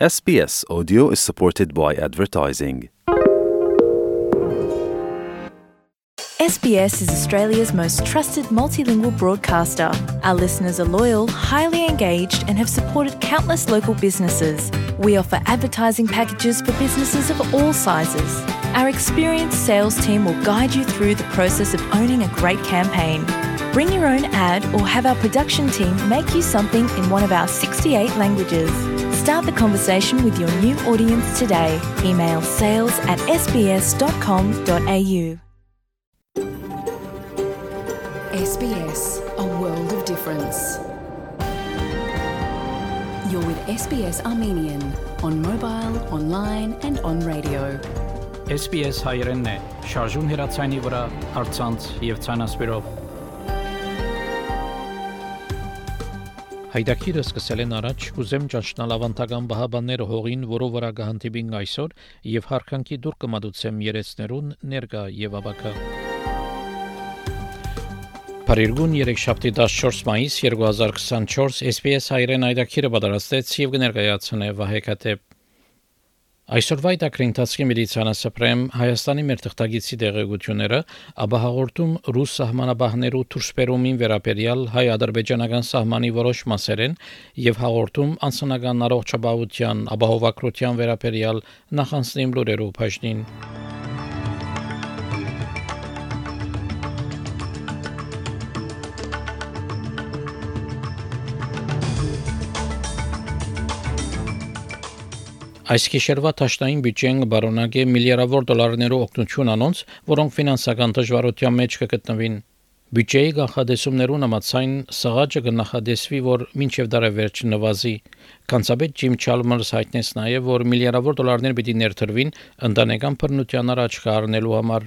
SBS Audio is supported by advertising. SBS is Australia's most trusted multilingual broadcaster. Our listeners are loyal, highly engaged, and have supported countless local businesses. We offer advertising packages for businesses of all sizes. Our experienced sales team will guide you through the process of owning a great campaign. Bring your own ad or have our production team make you something in one of our 68 languages. Start the conversation with your new audience today. Email sales@sbs.com.au. SBS, a world of difference. You're with SBS Armenian on mobile, online and on radio. SBS հայերենն է, շարժուն հեռացայինի վրա, առցանց եւ ցանասպիրով։ Հայդակիրը սկսել են առաջ, կուզեմ ճանչնալ ավանդական բահաբանները հողին, որով վրա կհանդիպին այսօր եւ հարկանքի դուր կմատուցեմ երեցներուն ներկա եւ ավակա։ Փարիգուն 3 շաբթի 14 մայիս 2024 SBS հայերեն հայդակիրը պատրաստեց եւ կներկայացնե Վահե Քաթեփ։ Այսօրվա դակրինտացի միլիցիանասպրեմ Հայաստանի մեր թղթագիտի դեղեցությունները ապահովորտում ռուս սահմանաբահներու դուրսբերումին վերաբերյալ հայ-ադրբեջանական սահմանի որոշ մասերեն եւ հաղորդում անձնական առողջապահության ապահովագրության վերաբերյալ նախանձնիմ լուրերով բաժնին։ Այս գիշերվա տաշտային բյուջեն բարոնագե միլիարդավոր դոլարներով օգնություն անոնց, որոնք ֆինանսական դժվարության մեջ կգտնվին։ Բյուջեի կանխատեսումներուն համաձայն սղաճը կնախադեсվի, որ մինչև դարավերջը նվազի։ Կանցաբեդ Ջիմ Չալմերս հայտնեց նաև, որ միլիարդավոր դոլարներ պիտի ներդրվին ընտանեկան բռնության առաջ կառնելու համար։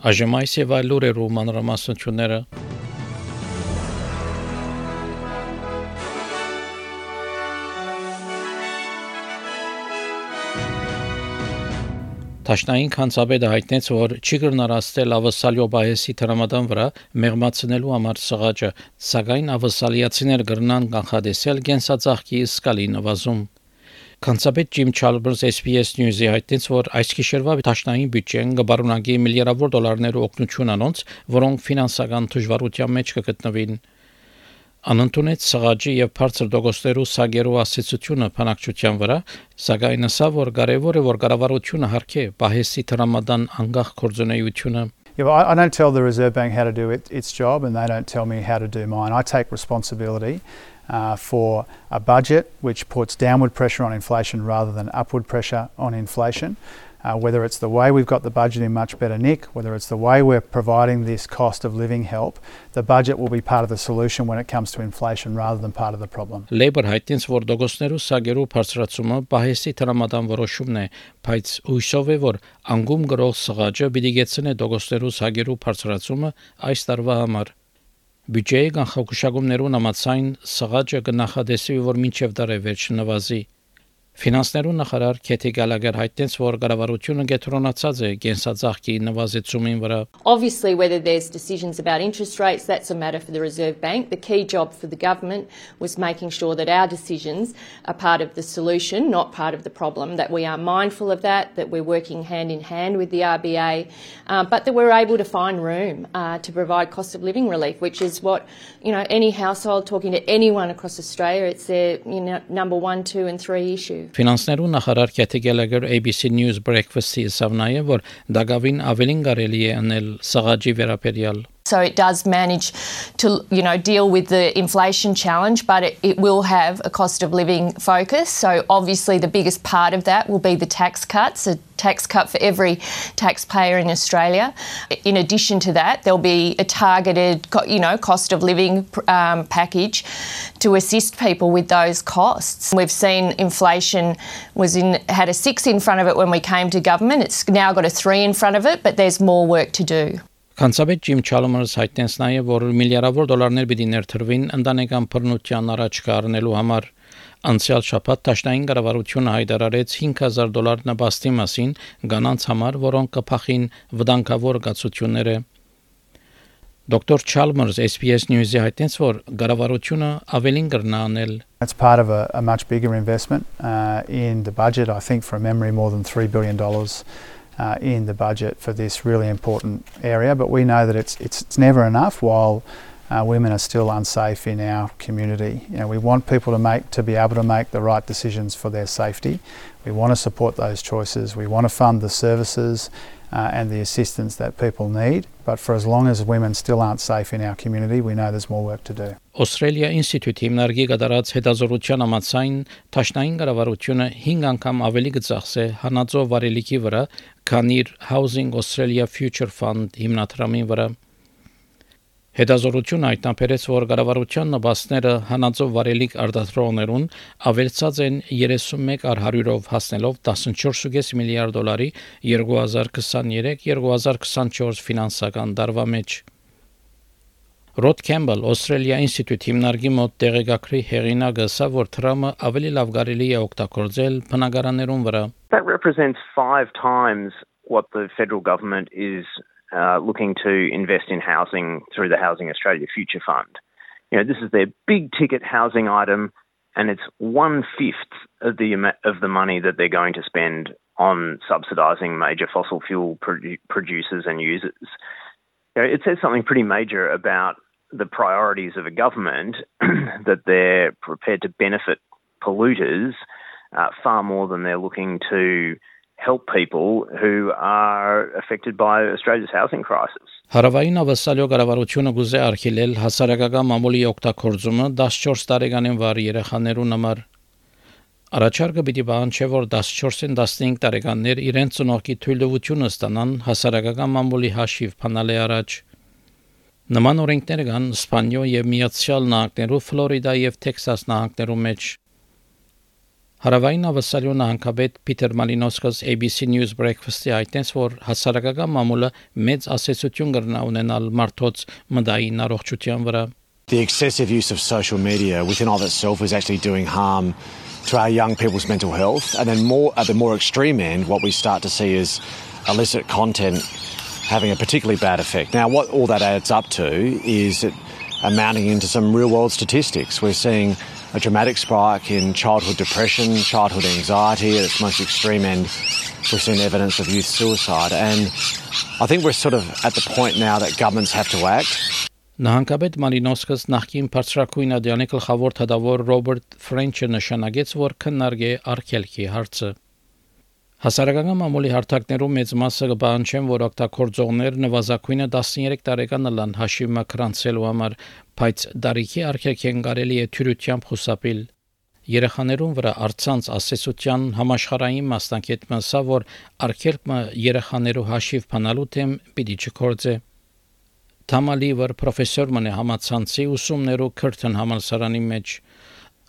Այժմ այս եւ այլ լուրերով մանրամասնությունները։ Տաշնային կանցաբեդը հայտնեց, որ չի կրնարաստել ավսալյո բայեսի տրամադան վրա մեղմացնելու համար սղաճը, սակայն ավսալիացիներ կրնան կանխադեսել կենսածաղկի սկալի նվազում։ Կանցաբեդ Ջիմ Չալմերս SBS News-ի հայտնեց, որ այս գիշերվա տաշնային բյուջեն կբարունագի միլիարդավոր դոլարներով օգնություն անոնց, որոնք ֆինանսական դժվարության մեջ կգտնվին։ Անընդունեց սղաճի եւ բարձր դոգոստերու սագերու ասացությունը բանակցության վրա, սակայն ասա, որ կարևոր է, որ կառավարությունը հարկե բահեսի տրամադան անգախ կորձունեությունը։ I don't tell the Reserve Bank how to do its job, and they don't tell me how to do mine. I take responsibility for a budget which puts downward pressure on inflation rather than upward pressure on inflation. Whether it's the way we've got the budget in much better nick, whether it's the way we're providing this cost of living help, the budget will be part of the solution when it comes to inflation rather than part of the problem. Labour հայտնեց, որ դոգոստերու սագերու բարձրացումը բահեսի տրամադան որոշումն է, բայց հույսով է, որ անգում գրող սղաճը պիտի գեցնե դոգոստերու սագերու բարձրացումը այս տարվա համար։ Բյուջեի կանխագուշակումներուն համաձայն սղաճը կնախադեսվի, որ մինչև դարավերջ նվազի։ Ֆինանսներու նախարար Քեթի Գալագեր հայտնեց, որ կառավարությունը կենտրոնացած է կենսածաղկի նվազեցումին վրա։ Obviously, whether there's decisions about interest rates, that's a matter for the Reserve Bank. The key job for the government was making sure that our decisions are part of the solution, not part of the problem, that we are mindful of that we're working hand in hand with the RBA, but that we're able to find room to provide cost of living relief, which is what, any household, talking to anyone across Australia, it's their number 1, 2 and 3 issue. Ֆինանսներու նախարար Քեթի Գալագեր ABC News Breakfast-ի ասավ նաև, որ դակավին ավելին կարելի է անել սղաճի վերաբերյալ։ So it does manage to, deal with the inflation challenge, but it will have a cost of living focus. So obviously the biggest part of that will be the tax cuts, a tax cut for every taxpayer in Australia. In addition to that, there'll be a targeted, cost of living package to assist people with those costs. We've seen inflation had a 6 in front of it when we came to government. It's now got a 3 in front of it, but there's more work to do. Կանցաբեդ Ջիմ Չալմերս հայտնեց նաև, որ միլիարդավոր դոլարներ պիտի ներդրվին ընտանեկան բռնության առաջ կառնելու համար։ Անցյալ շաբաթ տաշնային կառավարությունը հայտարարեց $5,000 նպաստի մասին կանանց համար, որոնք կփախին վտանգավոր գացությունները։ Dr. Chalmers SBS News-ի հայտնեց, որ կառավարությունը ավելին կրնա անել. It's part of a much bigger investment in the budget. I think from memory more than $3 billion in the budget for this really important area, but we know that it's never enough while women are still unsafe in our community. You know, we want people to be able to make the right decisions for their safety. We want to support those choices. We want to fund the services and the assistance that people need. But for as long as women still aren't safe in our community, we know there's more work to do. Australia Institute հիմնարկի կատարած հետազոտության համաձայն Տաշնային կառավարությունը 5 անգամ ավելի կծախսե հանածո վարելիքի վրա, քան իր Housing Australia Future Fund հիմնադրամի վրա. Հետազոտությունը հայտնաբերեց, որ կառավարության նպաստները հանածո վարելիք արտադրողներուն ավելցած են 31%-ով հասնելով $14.5 միլիարդ 2023-2024 ֆինանսական տարվա մեջ. Rod Campbell Australia Institute հիմնարկի մոտ տեղեկագրի հեղինակը ասա, որ Թրամը ավելի լավ կարելի է օգտագործել բնակարաններուն վրա. That represents 5 times what the federal government is looking to invest in housing through the Housing Australia Future Fund. You know, this is their big ticket housing item, and it's 1/5 of the money that they're going to spend on subsidising major fossil fuel producers and users. You know, it says something pretty major about the priorities of a government that they're prepared to benefit polluters far more than they're looking to help people who are affected by Australia's housing crisis. Հարավային ավասալյո կառավարությունը գուզե արգելել հասարակական մամուլի օգտագործումը 14 տարեկանին վար երեխաներուն համար. Առաջարկը պիտի պահանջի, որ 14-ին 15 տարեկաններ իրենց ծնողքի թույլտվությունը ստանան հասարակական մամուլի հաշիվ փնալի առաջ. Նման օրենքներ կան Իսպանիա եւ Միացյալ Նահանգներու, Ֆլորիդա եւ Տեքսաս նահանգներու մեջ. Հարավային ավասալյո նահանգապետ Պիտեր Մալինոսկոս ABC News Breakfast-ի հայտնեց, որ հասարակական մամուլը մեծ ասացություն կրնա ունենալ մարդոց մտային առողջության վրա. The excessive use of social media within of itself is actually doing harm to our young people's mental health, and then more at the more extreme end what we start to see is illicit content having a particularly bad effect. Now what all that adds up to is it amounting into some real world statistics. We're seeing a dramatic spike in childhood depression, childhood anxiety at its most extreme end. We've seen evidence of youth suicide, and I think we're sort of at the point now that governments have to act. Նահանգապետ Մալինոսկոս նախկին բարձրակույն ադյանի գլխավոր թագավոր Ռոբերտ Ֆրենչը նշանակեց, որ քննարկե արգելքի հարցը. Հասարակական մամուլի հարթակներում մեծ մասը կպահանջեն, որ օգտագործողներ նվազագույնը 13 տարեկան լան հաշիվը կրանցելու համար, բայց դարիքի արգելքեն կարելի է թյուրությամբ խուսափել. Երեխաներուն վրա առցանց ասեցության համաշխարհային մասնակետը ասա, որ արգելքը երեխաներու հաշիվ փնալու թեմ պիտի չկործե. Թամալիվր պրոֆեսոր մնե համացանցի ուսումներու Քրթեն համալսարանի մեջ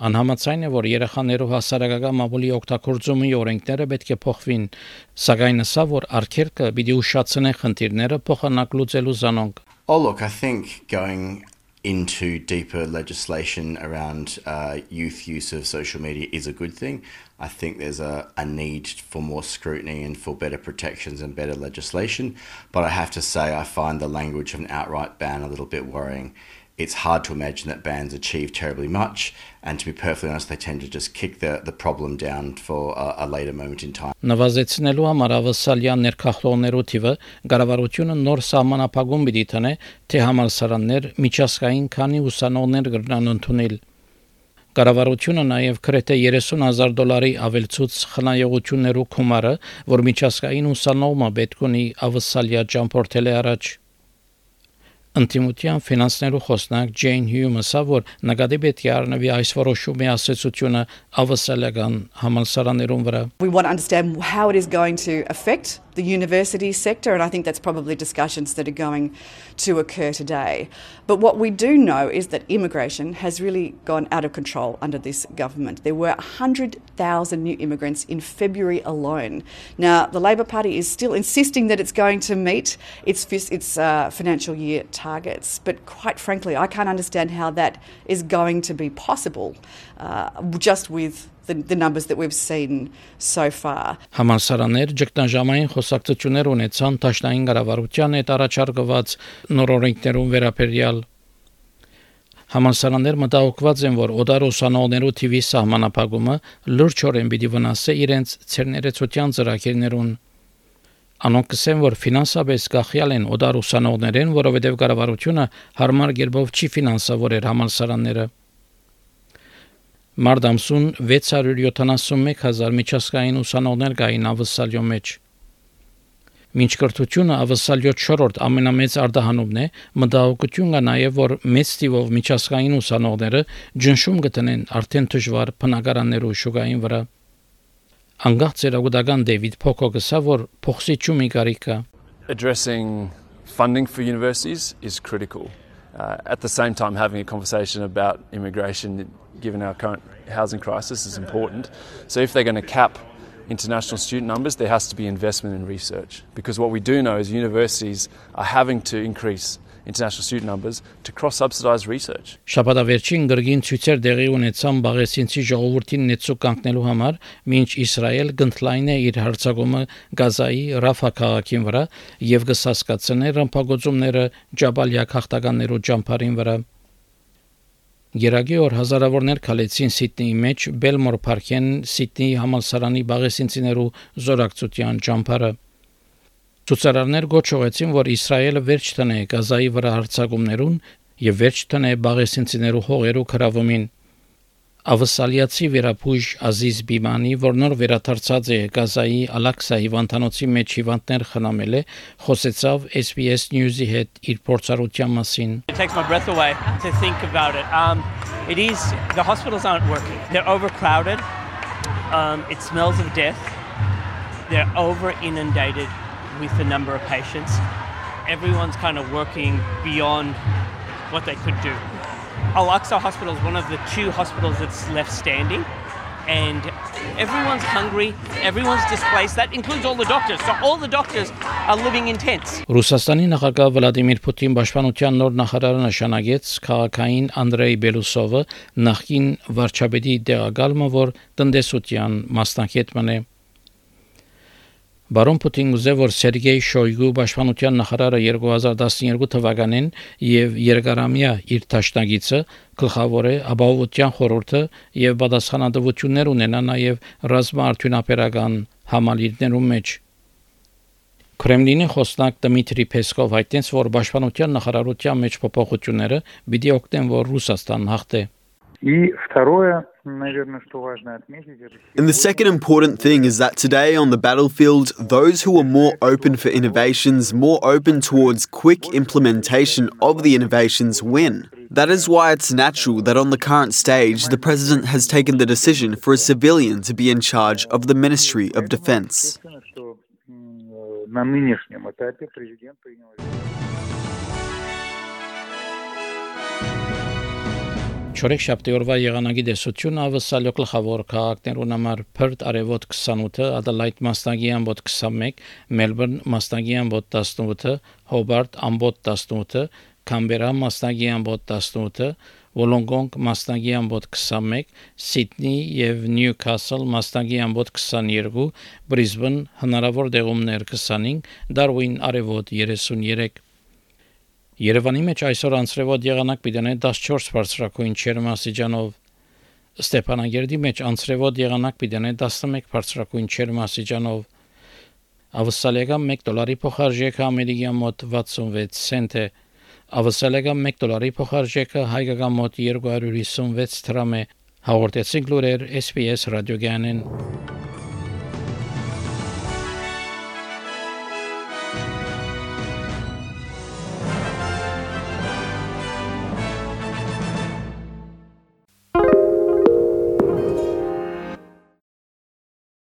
անհամաձայն է, որ երեխաներու հասարակական մամուլի օգտագործումի օրենքները պետք է փոխվին, սակայն ասա, որ արգելքը պիտի ուշացնե խնդիրները փոխանակ լուծելու զանոնք. Oh, look, I think going into deeper legislation around youth use of social media is a good thing. I think there's a need for more scrutiny and for better protections and better legislation. But I have to say I find the language of an outright ban a little bit worrying. It's hard to imagine that bans achieve terribly much, and to be perfectly honest, they tend to just kick the problem down for a later moment in time. Նվազեցնելու համար ավասալյան ներքախլողներու թիվը կառավարությունը նոր սահմանափակում պիտի տնե, թե համալսարաններ միջազգային քանի ուսանողներ կրնան ընդունել. Կառավարությունը նաև գրեթե $30,000 ավելցուց խնայողություններու գումարը, որ միջազգային ուսանողը պետք ունի ավասալյա ճամփորդել առաջ. Ընտիմության ֆինանսներու խոսնակ Ջեյն Հյումը ասա, որ նկատի պետք է առնվի այս որոշումի ասացությունը ավասալական համալսարաններուն վրա. We want to understand how it is going to affect the university sector, and I think that's probably discussions that are going to occur today. But what we do know is that immigration has really gone out of control under this government. There were 100,000 new immigrants in February alone. Now, the Labor Party is still insisting that it's going to meet its financial year targets. But quite frankly, I can't understand how that is going to be possible just with the numbers that we've seen so far. Համալսարաններ ճգնաժամային խոսակցություններ ունեցան Դաշնային կառավարության հետ առաջարկված նոր օրենքներուն վերաբերյալ Համալսարաններ մտահոգված են, որ օդար ուսանողներու թիվի սահմանափակումը լրջորեն պիտի վնասի իրենց ցերներեցության ծրագիրներուն։ Անոնք կսեն, որ ֆինանսապես գախյալ են օդար ուսանողներեն, որովհետև կառավարությունը հարմար կերպով չի ֆինանսավորել համալսարանները։ Մարտ ամսուն 671,000 միջազգային ուսանողներ կային ավսալյո մեջ։ Մինչ կրթությունը ավսալյո 4-րդ ամենամեծ արտահանումն է, մտահոգություն կա նաև, որ մեծ թիվով միջազգային ուսանողները ջնշում կտնեն արդեն դժվար բնակարաններու շուկային վրա։ Անգախ ծերագուտական Դեվիդ Փոքոկսա, որ փոխսիչումի կարիք կա։ Addressing funding for universities is critical. At the same time, having a conversation about immigration, given our current housing crisis, is important. So if they're going to cap international student numbers, there has to be investment in research. Because what we do know is universities are having to increase international student numbers to cross-subsidize research. Շաբաթավերջին գրգին ցույցեր դեղի ունեցան Բաղեսինցի ժողովրդին նեցու կանգնելու համար, մինչ Իսրայել գնդլայն է իր հարձակումը Գազայի Ռաֆա քաղաքին վրա եւ կսասկացնե ռմբակոծումները Ջաբալիա քաղաքականներու ճամփարին վրա։ Գերագի օր հազարավորներ քալեցին Սիդնեի մեջ Բելմոր Փարքեն Սիդնեի համալսարանի Բաղեսինցիներու զորակցության ճամփարը։ Ցուցարարներ գոչողեցին, որ Իսրայելը վերջ տնե Գազայի վրա հարձակումներուն եւ վերջ տնե Բաղեսինցիներու հողերու քրավումին։ Ավսալիացի վերապույժ Ազիզ Բիմանի, որ նոր վերադարձած է Գազայի Ալաքսա հիվանդանոցի մեջ հիվանդներ խնամել է, խոսեցավ SBS News-ի հետ իր փորձառության մասին։ It takes my breath away to think about it. The hospitals aren't working. They're overcrowded. It smells of death. They're over inundated with the number of patients. Everyone's kind of working beyond what they could do. Al-Aqsa Hospital is one of the 2 hospitals that's left standing, and everyone's hungry, everyone's displaced. That includes all the doctors. So all the doctors are living in tents. Ռուսաստանի նախագահ Վլադիմիր Պուտին պաշտպանության նոր նախարարը նշանակեց քաղաքային Անդրեյ Բելուսովը նախկին վարչապետի դեղակալը, որ տնտեսության մասնակիցն է։ Բարոն Պուտին ուզե, որ Սերգեյ Շոյգու պաշտպանության նախարարը 2012 թվականին եւ երկարամյա իր դաշնակիցը գլխավոր է ապահովության խորհուրդը եւ պատասխանատվություններ ունենա նաեւ ռազմաարդյունաբերական համալիրներում մեջ։ Կրեմլինի խոսնակ Դմիտրի Պեսկով հայտնեց, որ պաշտպանության նախարարության մեջ փոփոխությունները պիտի օգնեն, որ Ռուսաստան հաղթե։ And the second important thing is that today on the battlefield, those who are more open for innovations, more open towards quick implementation of the innovations win. That is why it's natural that on the current stage, the President has taken the decision for a civilian to be in charge of the Ministry of Defense. Չորեքշաբթի օրվա եղանակի դեսությունը ավսալյո գլխավոր քաղաքներուն համար Perth արևոտ 28, Adelaide մասնագի ամբոտ 21, Melbourne մասնագի ամբոտ 18, Hobart ամբոտ 18, Canberra մասնագի ամբոտ 18, Wollongong մասնագի ամբոտ 21, Sydney եւ Newcastle մասնագի ամբոտ 22, Brisbane հնարավոր դեղումներ 25, Darwin արևոտ 33 Երևանի մեջ այսօր անցրևոտ եղանակ պիտի 14 բարձրակույն ջերմաստիճանով, Ստեփանագերդի մեջ անցրևոտ եղանակ պիտի 11 բարձրակույն ջերմաստիճանով, ավսալիական $1 փոխարժեքը ամերիկյան մոտ 66 سنت է, ավսալիական $1 փոխարժեքը հայկական մոտ 256 դրամ է, հաղորդեցին լուրեր SPS ռադիոգյանեն։